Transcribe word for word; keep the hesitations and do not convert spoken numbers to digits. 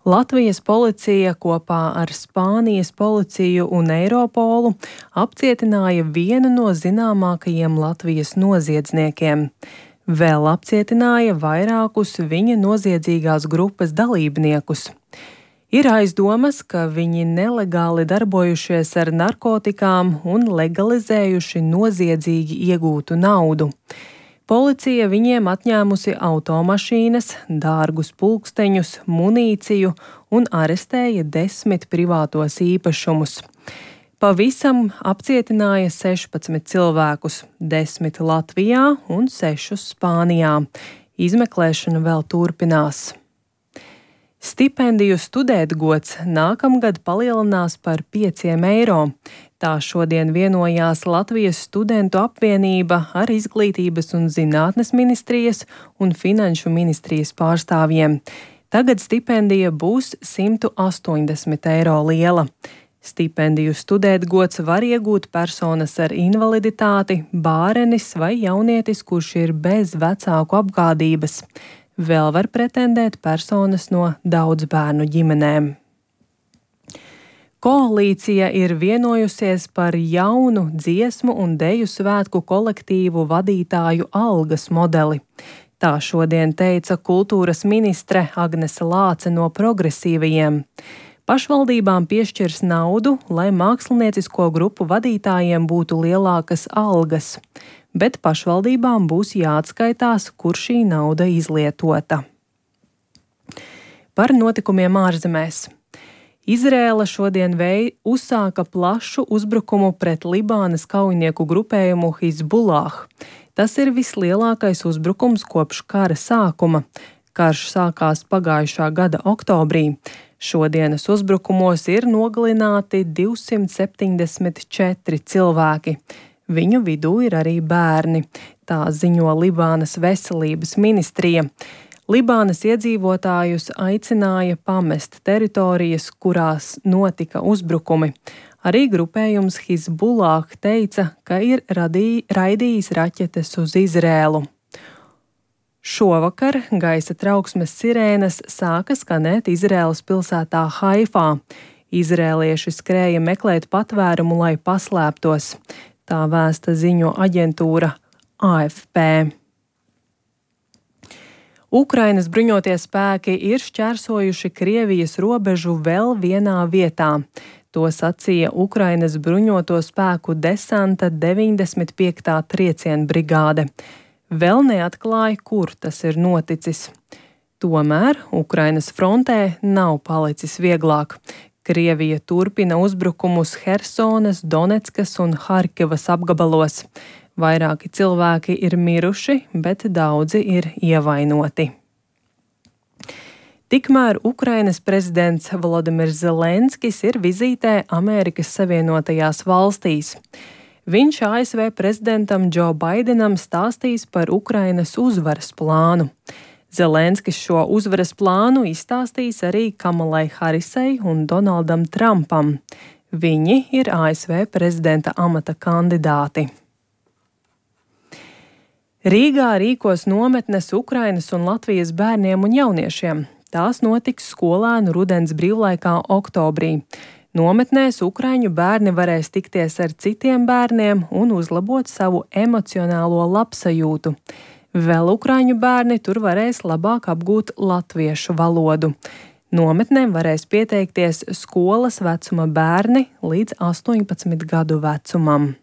Latvijas policija kopā ar Spānijas policiju un Eiropolu apcietināja vienu no zināmākajiem Latvijas noziedzniekiem. Vēl apcietināja vairākus viņa noziedzīgās grupas dalībniekus. Ir aizdomas, ka viņi nelegāli darbojušies ar narkotikām un legalizējuši noziedzīgi iegūtu naudu. Policija viņiem atņēmusi automašīnas, dārgus pulksteņus, munīciju un arestēja desmit privātos īpašumus. Pavisam apcietināja sešpadsmit cilvēkus, desmit Latvijā un sešus Spānijā. Izmeklēšana vēl turpinās. Stipendiju studētgods nākamgad palielinās par pieciem eiro. Tā šodien vienojās Latvijas studentu apvienība ar Izglītības un zinātnes ministrijas un Finanšu ministrijas pārstāvjiem. Tagad stipendija būs simt astoņdesmit eiro liela. Stipendiju studētgods var iegūt personas ar invaliditāti, bārenis vai jaunietis, kurš ir bez vecāku apgādības. Vēl var pretendēt personas no daudzbērnu ģimenēm. Koalīcija ir vienojusies par jaunu dziesmu un deju svētku kolektīvu vadītāju algas modeli. Tā šodien teica kultūras ministre Agnese Lāce no progresīvajiem. Pašvaldībām piešķirs naudu, lai māksliniecisko grupu vadītājiem būtu lielākas algas, bet pašvaldībām būs jāatskaitās, kur šī nauda izlietota. Par notikumiem ārzemēs. Izrēla šodien vei uzsāka plašu uzbrukumu pret Libānas kaujinieku grupējumu Hizbullah. Tas ir vislielākais uzbrukums kopš kara sākuma. Karš sākās pagājušā gada oktobrī. Šodienas uzbrukumos ir nogalināti divsimt septiņdesmit četri cilvēki. Viņu vidū ir arī bērni, tā ziņo Libānas veselības ministrija. Libānas iedzīvotājus aicināja pamest teritorijas, kurās notika uzbrukumi. Arī grupējums Hizbullah teica, ka ir radī, raidījis raķetes uz Izrēlu. Šovakar gaisa trauksmes sirēnas sāka skanēt Izrēlas pilsētā Haifā. Izrēlieši skrēja meklēt patvērumu, lai paslēptos. Tā vēsta ziņo aģentūra A F P. Ukrainas bruņotie spēki ir šķērsojuši Krievijas robežu vēl vienā vietā. To sacīja Ukrainas bruņoto spēku desanta deviņdesmit piektā trieciena brigāde. Vēl neatklāja, kur tas ir noticis. Tomēr Ukrainas frontē nav palicis vieglāk. Krievija turpina uzbrukumus Hersonas, Doneckas un Harkivas apgabalos. Vairāki cilvēki ir miruši, bet daudzi ir ievainoti. Tikmēr Ukrainas prezidents Volodimirs Zelenskis ir vizītē Amerikas Savienotajās valstīs. Viņš A S V prezidentam Džo Baidenam stāstīs par Ukrainas uzvaras plānu. Zelenskis šo uzvaras plānu izstāstīs arī Kamalai Harisai un Donaldam Trumpam. Viņi ir A S V prezidenta amata kandidāti. Rīgā rīkos nometnes Ukrainas un Latvijas bērniem un jauniešiem. Tās notiks skolēnu rudens brīvlaikā oktobrī. Nometnēs ukraiņu bērni varēs tikties ar citiem bērniem un uzlabot savu emocionālo labsajūtu. Vēl ukraiņu bērni tur varēs labāk apgūt latviešu valodu. Nometnēm varēs pieteikties skolas vecuma bērni līdz astoņpadsmit gadu vecumam.